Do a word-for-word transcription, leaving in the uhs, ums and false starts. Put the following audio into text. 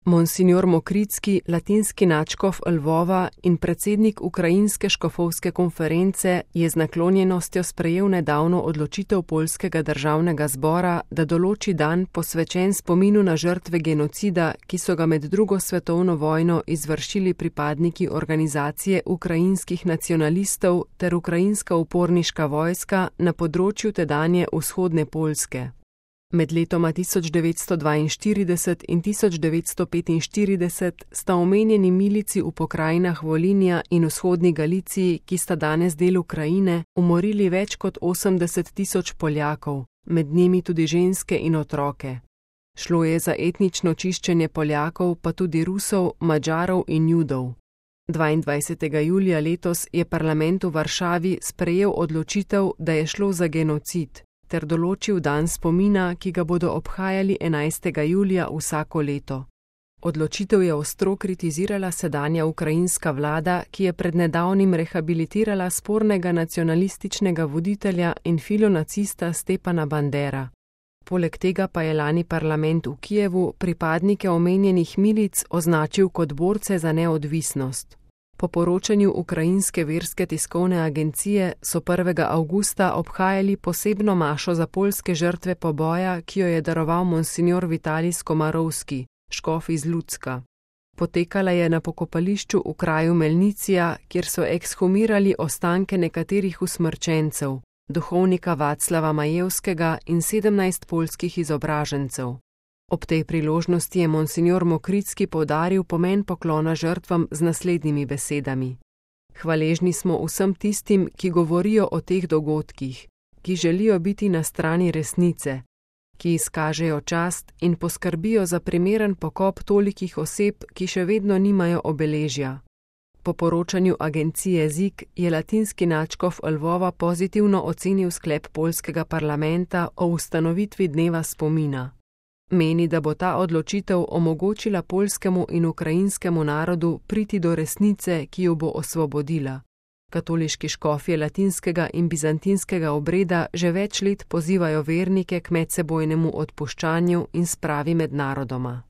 Monsignor Mokricki, latinski nadškof Lvova in predsednik Ukrajinske škofovske konference, je z naklonjenostjo sprejel nedavno odločitev poljskega državnega zbora, da določi dan posvečen spominu na žrtve genocida, ki so ga med drugo svetovno vojno izvršili pripadniki organizacije ukrajinskih nacionalistov ter ukrajinska uporniška vojska na področju tedanje vzhodne Poljske. Med letoma tisoč devetsto dvainštirideset in tisoč devetsto petinštirideset sta omenjeni milici v pokrajinah Volinja in vzhodni Galiciji, ki sta danes del Ukrajine, umorili več kot osemdeset tisoč Poljakov, med njimi tudi ženske in otroke. Šlo je za etnično čiščenje Poljakov, pa tudi Rusov, Madžarov in Judov. dvaindvajsetega julija letos je parlament v Varšavi sprejel odločitev, da je šlo za genocid, ter določil dan spomina, ki ga bodo obhajali enajstega julija vsako leto. Odločitev je ostro kritizirala sedanja ukrajinska vlada, ki je pred nedavnim rehabilitirala spornega nacionalističnega voditelja in filonacista Stepana Bandera. Poleg tega pa je lani parlament v Kijevu pripadnike omenjenih milic označil kot borce za neodvisnost. Po poročanju ukrajinske verske tiskovne agencije so prvega avgusta obhajali posebno mašo za poljske žrtve poboja, ki jo je daroval monsignor Vitalij Skomarovski, škof iz Lucka. Potekala je na pokopališču v kraju Melnicija, kjer so ekshumirali ostanke nekaterih usmrčencev, duhovnika Vaclava Majevskega in sedemnajst poljskih izobražencev. Ob tej priložnosti je monsignor Mokricki poudaril pomen poklona žrtvam z naslednjimi besedami. Hvaležni smo vsem tistim, ki govorijo o teh dogodkih, ki želijo biti na strani resnice, ki izkažejo čast in poskrbijo za primeren pokop tolikih oseb, ki še vedno nimajo obeležja. Po poročanju agencije Z I K je latinski nadškof Lvova pozitivno ocenil sklep poljskega parlamenta o ustanovitvi dneva spomina. Meni, da bo ta odločitev omogočila poljskemu in ukrajinskemu narodu priti do resnice, ki jo bo osvobodila. Katoliški škofje latinskega in bizantinskega obreda že več let pozivajo vernike k medsebojnemu odpuščanju in spravi med narodoma.